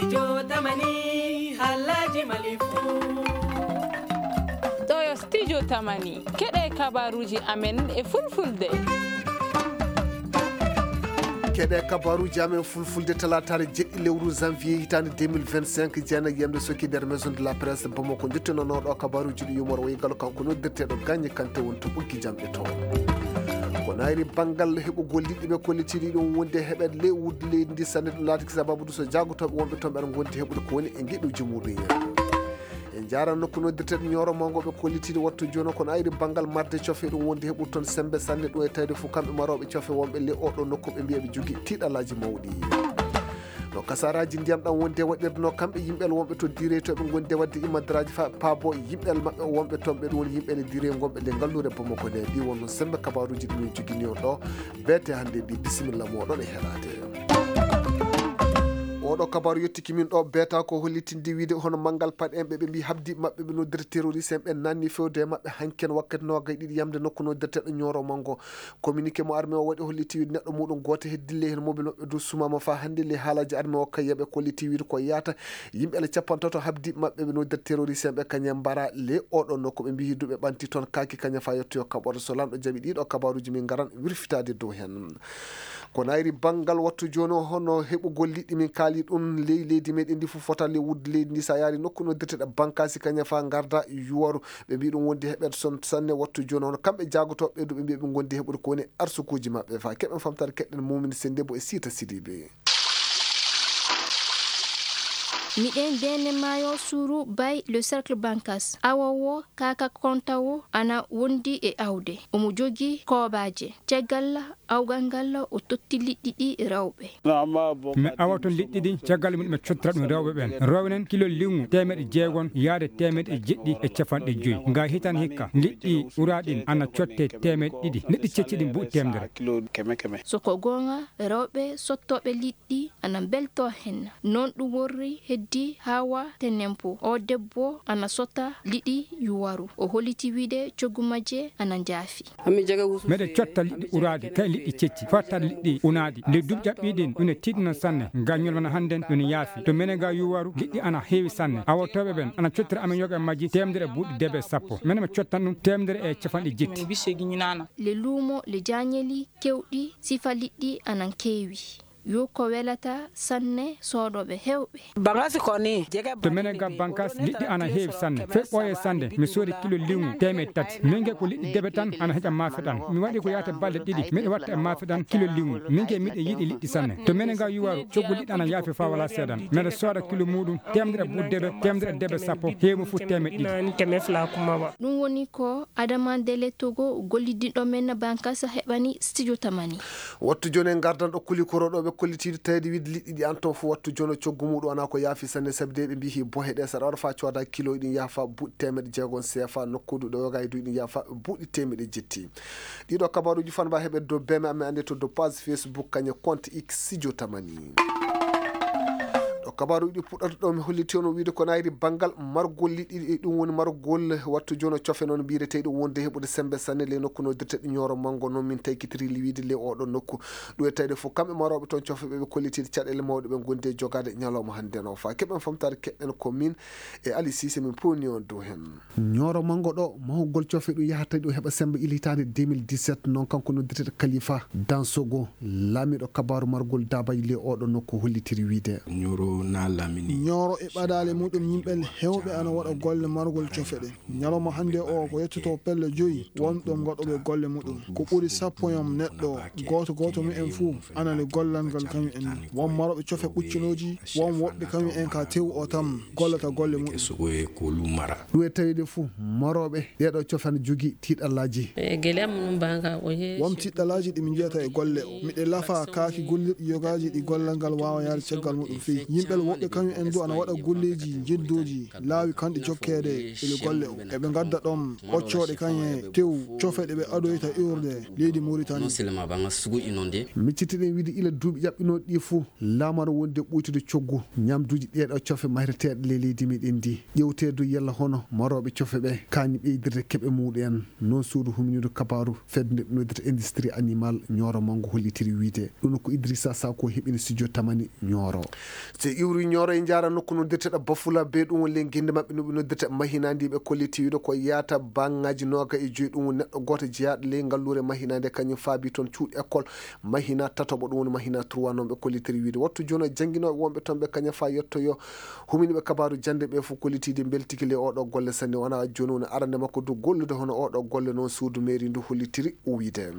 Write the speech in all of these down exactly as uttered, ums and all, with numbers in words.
Studio Tamani, halaji Mali fu. Ɗo yo Studio Tamani, keɗe kabaruji amen e fulfulde. Keɗe kabaruji amen fulfulde, talataare jeɗɗi lewru janvier hitaande deux mille vingt-cinq, jeenayi yamde soki nder maison de la presse Bamako. Njettinooɗo kabaruji ɗi yumor wayi galo kanko noddirteeɗo Gagne Kanté woni to ɓoggi jamɗe to. Ko nayri banngal heɓugol liɗɗi ɓe kollitiiɗi ɗum wonde heɓet ley wudde leydi ndi sanne, ɗum laatiki sababu ɗum so jaagotooɓe wonɓe toon ɓeɗa ngondi heɓude ko woni e ngeɗuuji muɗum en. En njaran nokku noddirteeɗo Ñooro Mango ɓe kollitiiɗi wattu jooni ko nayri banngal marde cofe ɗum wonde heɓude toon sembe sanne ɗum e tawde fof kamɓe marooɓe cofe wonɓe ley oɗo nokku ɓe mbiya ɓe jogii tiiɗalaaji mawɗi. No kasaraji ndiyam ɗam wonde waɗirno kamɓe yimɓe wonɓe to direytoɓe gonde wadde imadraji fa paabo yimɓe maɓɓe wonɓe toon ɓe ɗum woni yimɓe ne direy gonɓe nde ngalluure Bamako nde ɗi wonno sembe kabaruji ɗum en jogini on ɗo. Beete hannde mbi bisimilla moɗon e heɗade. Oɗo kabaru yettiki min ɗo beeta ko hollitinde wiide hono manngal paɗe en ɓe ɓe mbi habdi maɓɓe ɓe noddira terroriste en ɓe nanni fewde e maɓɓe hanken wakkati nogay ɗiɗi yamde nokku noddirteɗo Ñooro Mango. Communiqué mo armée o waɗi holliti wiide neɗɗo muɗum gooto heddille heen mobile maɓɓe dow sumama faa hannde le haalaaji armée o kay yaɓe kolliti wiide ko yaata yimɓe ele capantato habdi maɓɓe ɓe noddir terroriste en ɓe kañum mbara le oɗo nokku ɓe mbiyi duɓe ɓanti toon kaaki kañum faa yettoyo kaɓoto so lanɗo jaɓi ɗiɗo kabaruji min ngaran wirfitaade dow heen. Ko nayri banngal wattu jooni o hono heɓugol liɗɗi min kaali ɗum ley leydi meɗen ndi fof fota le wudde leydi ndi sa yaari nokku noddirteɗo bankasi kañum faa ngarda yuwaru. Ɓe mbi ɗum wondi heɓet son sanne wattu jooni hono kamɓe jaagotooɓe ɓe du ɓe mbi ɓe gondi heɓude ko woni arsukuuji maɓɓe fa keɓen famtare keɗɗen mumini sendebo e siita sidibe. Miɗen dene maayo suuru bay le cercle bankas awa wo kaka konta wo ana wondi e awde omo jogi koobaaje caggal awgal ngal o totti liɗɗi ɗi rewɓe. Mi awa toon liɗɗi ɗi caggal mum ɓe cottata ɗum rewɓe ɓen rewnen kilo liŋu teemeɗe jeegon yaade teemeɗe jeɗɗi e capanɗe joyi nga hitan hikka liɗɗi uraɗin ana cotte teemeɗe ɗiɗi liɗɗi cecci ɗin buuɗi teemdere. Soko goonga rewɓe sottooɓe liɗɗi ana mbeltoo heen. Noon ɗum worri heddi Hawa Tenempo. Oo debbo ana sota liɗɗi yuwaru. O holliti wiyde coggu majje ana njaafi. Meɗen cotta liɗɗi uraaɗi kay liɗɗi cecci fottat liɗɗi unaaɗi nde duuɓi ɗaɓɓiiɗin ɗum ne tiiɗino sanne ngam ñolmana hannden ɗum ne yaafi to menen ga yuwaru liɗɗi ana heewi sanne awotooɓe ɓen ana cottira amen yoga e majji teemedere buuɗi debe sappo menen mi cottan ɗum teemedere e capanɗe jetti. Le luumo le jaañeli kewɗi sifa liɗɗi anan keewi. Yo ko welata sanne soodooɓe heewɓe. To menen ga bankas liɗɗi ana heewi sanne fey ɓooye sannde mi soodi kilo liŋu teemeɗe tati min ge ko liɗɗi debe tan ana heƴa maafe ɗan mi waɗi ko yaata balɗe ɗiɗi miɗo watta e maafe ɗan kilo liŋu min ge miɗo yiɗi liɗɗi sanne to menen ga yuwaru coggu liɗɗi ana yaafi fa wala seeɗan miɗo sooda kilo muɗum temedere buuɗi debe temedere debe sappo heewi mo fof teemeɗe ɗiɗi. Ɗum woni ko Adama Dele Togo gollidiɗo men bankas heɓani studio tamani. Wattu jooni en ngardan ɗo kuli koroɗo ɓe kollitiiɗo tawde wiide liɗɗi ɗi an toon fof wattu jooni o coggu muɗum wona ko yaafi sanne sabi de ɓe mbiyi bohe ɗe saɗa waɗa fa cooda kilo ɗin yaha fa buuɗi teemeɗe jeegom sefa nokkudu ɗo yoga e duy ɗin yaha fa buuɗi teemeɗe jetti. Ɗiɗo kabaruji fanba heɓe dow beme amen ande to dow page Facebook kañe compte x studio tamani. Ɗo kabaruji ɗi puɗɗata ɗo mi holliti on o wiide ko nayri banngal margol liɗɗi ɗum woni margol wattu jono cofe noon mbiyetee ɗum wonde heɓude sembe sanne le nokku no dirteɗi ñooro manngo noon min taykitiri liwiide le oɗo nokku. Ɗum e tawde fof kamɓe marooɓe toon cofe ɓe ɓe kollitiiɗe caɗeele mawɗe ɓe ngondi e jogaade ñalawma hannde no fa keɓen famtaade keɗɗen ko min e Ali Sise min pewni on dow heen. Ñooro manngo ɗo mahugol cofe ɗum yahata ɗum heɓa semmbe ila hitaande deux mille dix-sept noon kanko noddirteeɗo Kalifa Dansogo laamiiɗo kabaaru margol daabaji le oɗo nokku hollitiri wiide. Ñooro na laamini. Ñooro e ɓadaale muɗum yimɓe heewɓe ana waɗa golle margol cofe ɗe. Ñalawma hannde o ko yettoto pelle joyi won ɗoon gaɗooɓe golle muɗum. Ko ɓuri sappo yom neɗɗo gooto gooto mumen fuu anani gollal ngal kañum en. Won marooɓe cofe ɓuccinooji won woɓɓe kañum en ka tew o tan gollata golle muɗum. Ɗum e tawde fof marooɓe ɗeeɗo cofe ana jogii tiiɗallaaji. Won tiiɗallaaji ɗi min njiyata e golle o. Miɗe lafa kaaki gollirɗi yogaaji ɗi gollal ngal waawa yahde caggal muɗum fii. Yimɓe woɓɓe kañum en du ana waɗa golleeji njeddooji laawi kanɗi jokkeede e golle o. Eɓe ngadda ɗoon ɓoccooɗe kañum e tew cofe ɗe ɓe adoyta iwrude leydi Muritani. Miccitiɗen wiide ila duuɓi ƴaɓɓinooɗi ɗi fof laamaro wonde ɓuytude coggu ñamduuji ɗeeɗo cofe mahreteeɗe ley leydi meɗen ndi. Ƴewteedu yalla hono marooɓe cofe ɓe kaani ɓeydirde keɓe muɗum en. Noon suudu huminiidu kabaaru fedde nde ɓe noddirta industrie animal ñooro manngo hollitiri wiide. Ɗum ko Idrissa Sako heɓini studio tamani ñooro. So Iwri Ñooro e njaara nokku noddirteɗo Bafula be ɗum woni ley gennde maɓɓe no ɓe noddirta Mahina ndi ɓe kolliti wiide ko yaata baŋŋaaji nooga e joyi ɗum woni neɗɗo gooto jeyaaɗo ley ngalluure Mahina nde kañum faabi toon cuuɗi école Mahina tatoɓo ɗum woni Mahina trois noon ɓe kollitiri wiide wattu jooni o jannginooɓe wonɓe toon ɓe kaña faa yettoyo humini ɓe kabaaru jannde ɓe fof kollitiide mbeltiki ley oɗo golle sanne wona jooni woni arande makko du gollude hono oɗo golle noon suudu mairie ndu hollitiri wiide.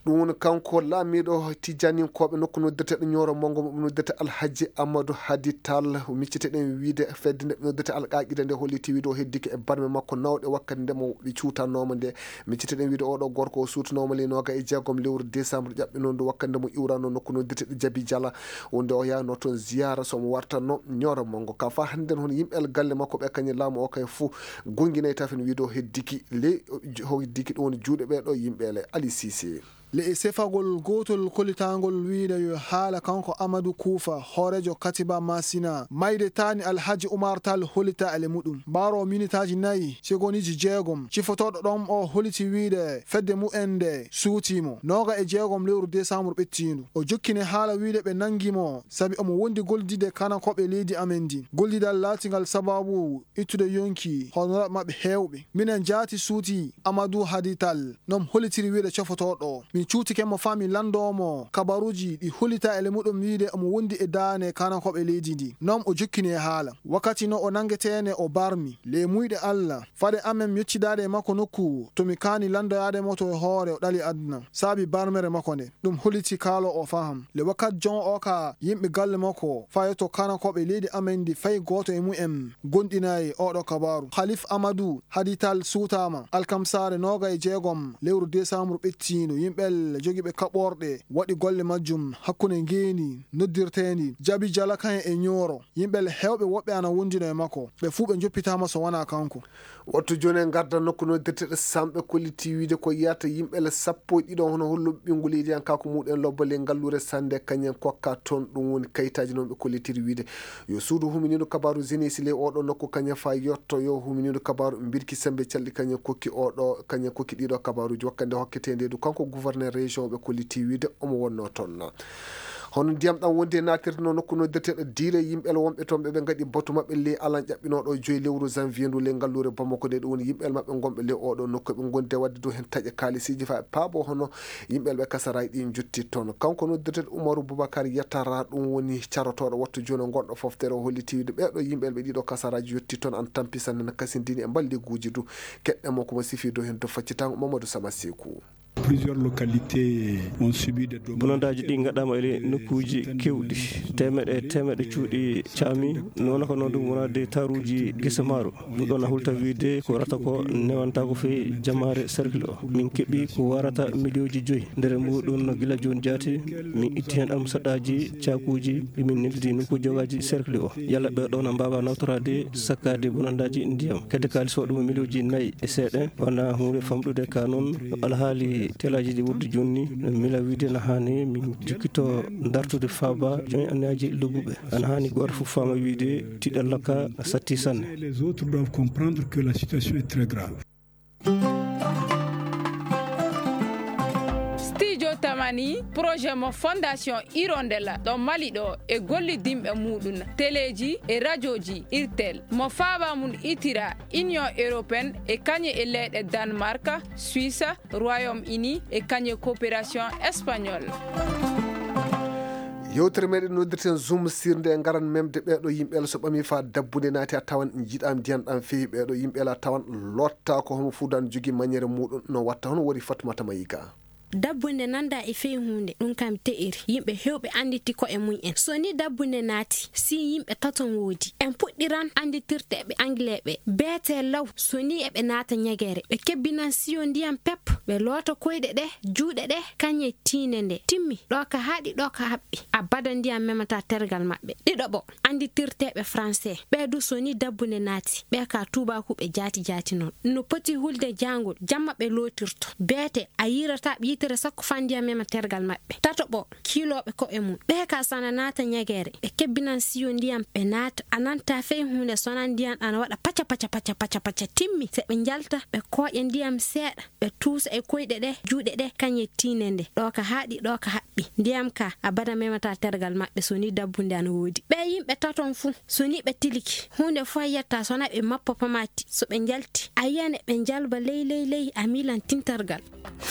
Ɗum woni kanko laamiiɗo tijjaninkooɓe nokku noddirteɗo Ñooro Manngo mo ɓe noddirta Alhaji Amadou Hadi Tall, micciteɗen wiide fedde nde ɓe noddirta Alqaaqida nde holliti wiide o heddike e barme makko nawɗe wakkati nde mo ɓe cuutanooma nde. Micciteɗen wiide oɗo gorko o suutanooma ley nooga e jeegom lewru décembre ƴaɓɓinoo ndu wakkati nde mo iwrano nokku noddirteɗo Jabi Jala wonde o yahno toon ziyaara so mo wartanno Ñooro Manngo ka faa hannden hono yimɓe galle makko ɓe kañum laamu o kay fof gonnginay tafen wiide o heddiki ley o heddiki ɗum woni juuɗe ɓee ɗo yimɓe le Ali Cissé. Le e sefagol gootol kollitaangol wiide yo haala kanko Amadou Kuufa, hooreejo Katiba Masina, mayde taani Alhaji Umar Tall hollita ele muɗum. Mbaaroo minitaaji nayi, segondiiji jeegom, cifotooɗo ɗoon o holliti wiide fedde mumen nde suutii mo. Nooga e jeegom lewru desambur ɓettiindu. O jokkini haala wiide ɓe nanngi mo, sabi omo wondi gollidde kanankooɓe leydi amen ndi. Gollidal laatingal sabaabu ittude yonki honoraaɓe maɓɓe heewɓe. Minen jaati suuti Amadou Hadi Tall, no mi hollitiri wiide cofotooɗo o. Min cuutike mo faa min lanndoo mo kabaruuji ɗi hollita ele muɗum wiide omo wondi e daane kanankooɓe leydi ndi. Noon o jokkini e haala. Wakkati no o nanngetee ne o barmi. Ley muuyɗe Alla, fade amen mi yeccidaade e makko nokku to mi kaani lanndoyaade mo to e hoore o ɗali aduna. Saabi barmere makko nde. Ɗum holliti kaalo o faham. Le wakkati jon o ka yimɓe galle makko faa yetto kanankooɓe leydi amen ndi fay gooto e mumen gonɗinaay oɗo kabaaru. Khalif Amadou Hadi Tall suutaama alkamsaare nooga e jeegom lewru desambur ɓettiindu. Yimɓe jogiiɓe kaɓorɗe waɗi golle majjum hakkunde ngeeni noddirteendi Jabi Jala kayen e Ñooro. Yimɓe heewɓe woɓɓe ana wondino e makko. Ɓe fuu ɓe njoppitaama so wanaa kanko. Wattu jooni en ngarda nokku noddirteɗo Samɓe kolliti wiide ko yiyata yimɓe le sappo e ɗiɗo hono holluɓe ɓinngol yidiyankaaku muɗen lobbo le ngalluure sannde kañen kokka toon ɗum woni kayitaaji noon ɓe kollitiri wiide yo suudu huminiiɗo kabaaru Genesi le oɗo nokku kañen faa yotto yo huminiiɗo kabaaru mbirki sembe calɗi kañen kokki oɗo kañen kokki ɗiɗo kabaaruuji wakkande hokketeendeedu kanko gouverneur région ɓe kolliti wiide omo wonnoo toon. Hono ndiyam ɗam wondi e naatirde no nokku noddeteeɗo diire yimɓe wonɓe toon ɓe ɓe ngaɗi batu maɓɓe ley alan ƴaɓɓinooɗo joyi lewru janvier ndu ley ngalluure Bamako nde ɗum woni yimɓe maɓɓe gonɓe ley oɗo nokku ɓe gondi e waɗde dow heen taƴe kaalisiiji faa e paabo hono yimɓe ɓe kasaraaji ɗi jotti toon. Kanko noddeteeɗo Umaru Bubakar Yatara ɗum woni carotooɗo wattu jooni gonɗo foftere o holliti wiide ɓeeɗo yimɓe ɓe ɗiɗo kasaraaji yotti toon an tampi sanne no kasindini e mballiguuji du keɗɗe mo ko mo sifi dow heen to faccitango Mamadou Sama Seku. Plusieurs localités ont subi des dommages. Bonandaaji ɗi ngaɗaama e nokkuuji keewɗi. Teemeɗe e teemeɗe cuuɗi caami. Noona ko noon ɗum wonaa de taruuji gese maaro. Ɗum ɗoon a hulta wiide ko warata ko newantaako fee jamaare cercle o. Min keɓi ko warata miliyooji joyi. Nder muuɗum no gila jooni jaati, min itti heen almusaɗaaji, caakuuji, ɗi min neldidi nokku jogaaji cercle o. Yalla ɓee ɗoo na mbaawa nawtoraade sakkaade bonandaaji ndiyam. Kadi kaalis o ɗum miliyooji nayi e seeɗa. Wonaa huunde famɗude ka noon, no alhaali telaaji ɗi wonde jooni, no mila wiide no haani min jokkito dartude faaba jooni anniyaaji lobbuɓe. Ana haani gooto fof faama wiide tiɗalla ka satti sanne. Les autres doivent comprendre que la situation est très grave. Studio Tamani, projet mo Fondation Hirondella ɗo Mali ɗo e gollidinɓe muɗum, teleeji e rajooji Irtel, mo faaba mum itira Union Européenne e kañe e leyɗe Danemark, Suisse, Royaume-Uni e kañe coopération espagnole. Yewtere meɗen noddirten Zoom sirnde e ngaran memde ɓeeɗo yimɓe so ɓami faa dabbunde naati a tawan jiɗam ndiyan ɗam fehi ɓeeɗo yimɓe a tawan lotta ko homo fudan jogi mañere muɗum no watta hono wori Fatmata Mayiga. Dabbunde nanda e fey huunde ɗum kam te'iri yimɓe hewɓe annditi ko'e mum en. So ni dabbunde naati si yimɓe taton woodi en puɗɗiran annditirteeɓe anglais ɓe beete law. So ni eɓe naata ñegere ɓe kebbinan siyo ndiyam pep ɓe loota koyɗe ɗe juuɗe ɗe kañe tiinde nde timmi ɗo ka haaɗi ɗo ka haɓɓi abada ndiyam memata tergal maɓɓe. Ɗiɗo ɓo annditirteeɓe français ɓe du so ni dabbunde naati ɓe ka tuubaaku ɓe jaati jaati noon no poti hulde jaangol jamma ɓe lootirto beete a yiirata ɓiita. Ere sakko faa ndiyam mema tergal maɓɓe. Tato ɓo, kiilooɓe ko'e mum. Ɓee ka so ana naata ñageere, ɓe kebbinan siyo ndiyam, ɓe naata. A nanta fey huunde so wonaa ndiyam ana waɗa paca, paca, paca, paca, paca, timmi. Se ɓe njalta, ɓe kooƴa ndiyam seeɗa, ɓe tuusa e koyɗe ɗe, juuɗe ɗe, kañe tiinde nde. Ɗo ka haaɗi, ɗo ka haɓɓi. Ndiyam ka, abada memataa tergal maɓɓe, so ni dabbunde ana woodi. Ɓee yimɓe taton fuu, so ni ɓe tiliki, huunde fuu a yiyataa so wonaa ɓe mappa pamaati. So ɓe njalti, a yiyan e ɓe njalba ley, ley, ley, a miilan tintargal.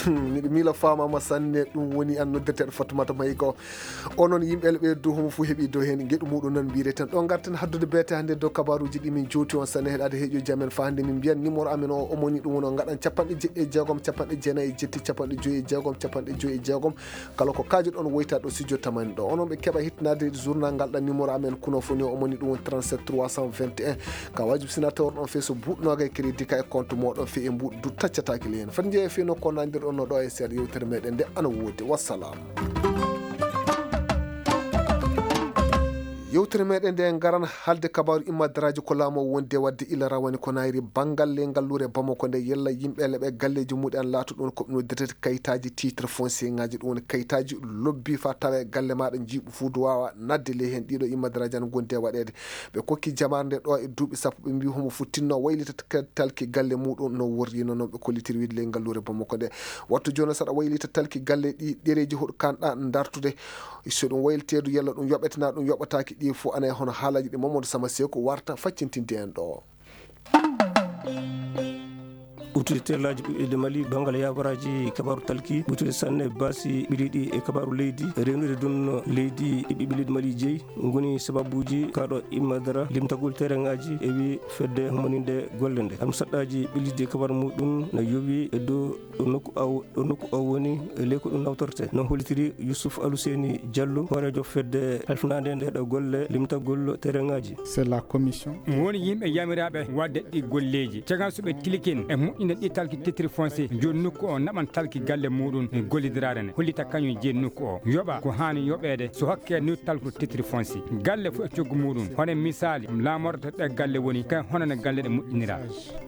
Hmm, miɗo miila faamaama sanne, ɗum woni an noddirteeɗo Fatumata Mayi ko. Onon yimɓe Elɓe dow homo fuu heɓi dow heen ngeɗu muɗum noon mbiyeten. Ɗo ngarten haddude beete hannde dow kabaruuji ɗi min jowti on sanne heɗaade heɗiyoji amen faa hannde min mbiyan numéro amen o omoni ɗum woni on ngaɗan capanɗe jeɗɗi e jeegom, capanɗe jeenayi e jetti, capanɗe joyi e jeegom, capanɗe joyi e jeegom. Kala ko kaajuɗon woyta ɗo studio tamani ɗo. Onon ɓe keɓa hittinaade journal ngal ɗan numéro amen kuno foni o omoni ɗum woni trente-sept trois cent vingt et un. Ka wajibi sina tawrɗon fee so buuɗ noogay crédit ka e compte moɗon fee e mbuuɗ du taccataake le heen. Fati njeeya fee no ko nandirɗon no ɗo e seeɗa yewtere meɗen nde ana woodi. Wassalam. Yewtere meɗen nde ngaran halde kabaru immadaraaji ko laamu o wondi e wadde ila rawani ko nayri bangal le ngalluure Bamako nde yella yimɓe leɓe galleji muɗi an laatu ɗon ko ɓe noddirtete kayitaji titre foncier ngaji ɗum woni kayitaji lobbi fa tawa e galle maɗa jiiɓu fuudu wawa nadde le heen ɗiɗo immadaraaji an gondi e waɗede. Ɓe kokki jamaare nde ɗo e duuɓi sappo, ɓe mbi homo fuu tinno waylita k-, talki galle muɗum no worri no, no ɓe kollitiri wiide ley ngalluure Bamako nde. Wattu jooni saɗa waylita talki galle ɗi ɗereeji hoɗo kanɗa dartude. So ɗum wayliteedu yalla ɗum yoɓete na ɗum yoɓataaki ɗi fof ana e hono haalaji ɗi Mamadou Sama Seeku warta faccintinde en ɗo. Ɓuttude terlaaji ɓiɓɓe leydi Mali, banngal yaabaraaji kabaaru talki, ɓuttude sanne baasi ɓiliiɗi e kabaaru leydi, rewnude ɗum leydi e ɓiɓɓe leydi Mali jeyi, ngoni sababuuji kaɗo immadara limtagol terengaaji e wi fedde hummaninde golle nde. Am saɗɗaaji ɓiliiɗi e kabaaru muɗum na yowi e dow ɗo nokku aw-, ɗo nokku o woni e ley ko ɗum nawtorte. No hollitiri Youssouf Aluseni Diallo, hooreejo fedde halfinaande nde ɗo golle limtagol terengaaji. C'est la commission. Woni yimɓe yamiraaɓe waɗde ɗi golleeji. Caggal so ɓe tilikin e moƴƴinde ɗi talki titre foncier, jooni nokku o naɓan talki galle muɗum e gollidiraare nde. Hollita kañum jeyi nokku o. Yoɓa ko haani yoɓeede so hokke ni talkude titre foncier. Galle fof e coggu muɗum. Hono misaali, laamorde ɗe galle woni, kay hono no galle ɗe moƴƴinira.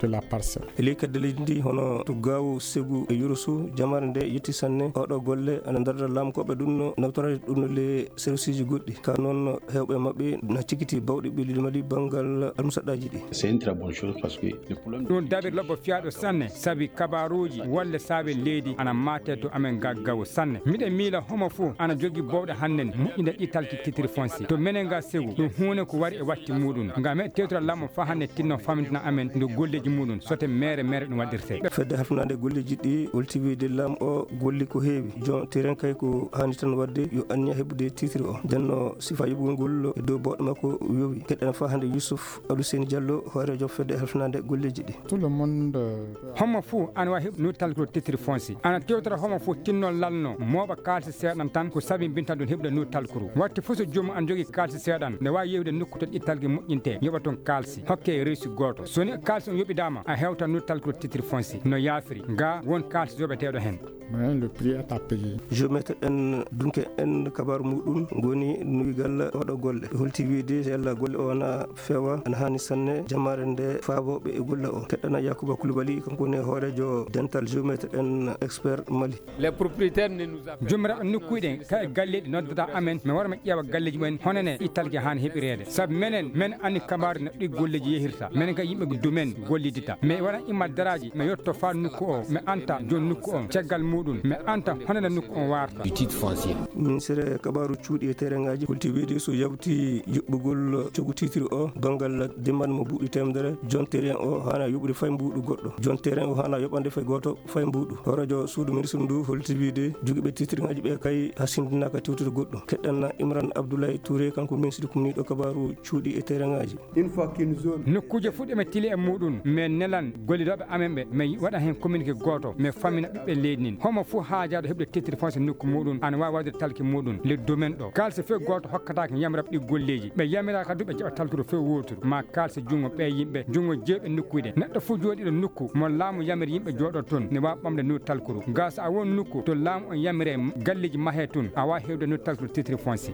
De la parcelle. E ley kedde leydi ndi hono to Gaawo, Segu e Yoroso, jamaare nde yetti sanne. Oɗo golle ana darda laamkooɓe ɗum no nawtorade ɗum no le serviceji goɗɗi. Ka noon heewɓe maɓɓe na cikiti bawɗe ɓe leydi Mali banngal almusaɗɗaaji ɗi. C'est une très bonne chose parce que le problème. Ɗum dabir lobbo fiyaaɗo sanne, sabi kabaaruuji wolle saabe leydi ana maate to amen ga Gaawo sanne. Miɗen miila homo fof ana jogi bawɗe hannden moƴƴinde ɗi talki titre foncier. To menen ga Segu, ɗum huunde ko wari e watti muɗum. Ngam e tewtira laamɗo faa hannde tinno famintina amen nde golleeji muɗum, sote mere mere ɗum waɗirte. Fedde halfinaande golleeji ɗi holti wiide laamɗo o golli ko heewi. Joom terrain kay ko haani tan waɗde yo anniya heɓude titre o. Nden no sifa yoɓugol ngol e dow bawɗe makko yowi. Keɗɗen faa hannde Youssouf Aluseni Diallo, hooreejo fedde halfinaande golleeji ɗi. Tout le monde, euh, Homo fuu ana waawi heɓude nowdi talkuru titre foncier. Ana tewtora homo fuu tinno lanno mooɓa kaalisi seeɗan tan ko sabi mbinta ɗum heɓude nowdi talkuru. Waɗti fof so joomum ana jogii kaalisi seeɗan, nde waawi yehude nokku to ɗi talki moƴƴinte, yoɓa toon kaalisi, hokke reesu gooto. So ni kaalisi on yoɓidaama, a hewtan nowdi talkuru titre foncier. No yaafiri, ga won kaalisi yoɓeteeɗo heen. Mais le prix est à payer. Géomètre en dunke en kabaaru muɗum ngoni nuwigal oɗo golle. Holti wiide yalla golle o na feewa, ana haani sanne jamaare nde faabooɓe e golle o. Keɗɗana Yakuba Koulibaly, kanko woni hooreejo dental géomètre en expert Mali. Les propriétaires ne nous appellent. Joomiraaɓe nokkuuji ɗen, kala e galleeji noddata amen, mi wara mi ƴeewa galleeji mumen, hono ne ɗi talki haani heɓireede. Sabu menen, men anndi kabaaru no ɗi golleeji yehirta. Menen ka yimɓe domaine gollidita. Mi waɗan immadaraaji, mi yotto faa nokku o, mi anta joom nokku on, caggal muɗum, mi anta hono no nokku on warta. Du titre foncier. Ministre kabaaru cuuɗi e terengaaji holti wiide so yawti yoɓɓugol coggu titre o, banngal dimban mo buuɗi teemedere, joom terrain o haana yoɓude fay mbuuɗu goɗɗo. Joom terrain o haana yoɓande fay gooto fay mbuuɗu. Hooreejo suudu ministre ndu holti wiide jogiiɓe titre ngaaji ɓe kay hasindinaaka tewtude goɗɗum. Keɗɗen Imran Abdoulaye Touré, kanko ministre kumniiɗo kabaaru cuuɗi e terengaaji. Une fois qu'une zone. Nokkuuje fof ɗe mi tili e muɗum, mi nelan gollidooɓe amen ɓe, mi waɗa heen communiqué gooto, mi fammina ɓiɓɓe leydi ndin. Homo fof haajaaɗo heɓde titre foncier nokku muɗum, ana waawi waɗde talki muɗum, le domaine ɗo. Kaalisi fof gooto hokkataake yamiraɓe ɗi golleeji. Ɓe yamiraaka du ɓe jaɓa talkuru fof wooturu. Ma kaalisi junngo ɓe yimɓe, junngo jeeyɓe nokkuuji ɗe. Neɗɗo fof jooɗiiɗo nokku, Mo laamu yamiri yimɓe jooɗo toon ne waawi ɓamde nokku talkuru. Gaa so a won nokku to laamu on yamiri galleeji mahee toon, a waawi heɓde nokku talkuru titre foncier.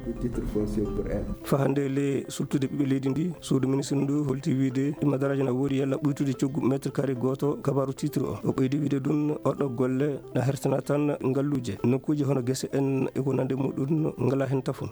Fa hannde le suttude ɓiɓɓe leydi ndi, suudu ministre ndu holti wiide madaraaji na woodi yalla ɓuytude coggu mètre carré gooto kabaaru titre o. O ɓeydi wiide ɗum oɗo golle na hertana tan ngalluuje. Nokkuuji hono gese en e ko nande muɗum ngalaa heen tafon.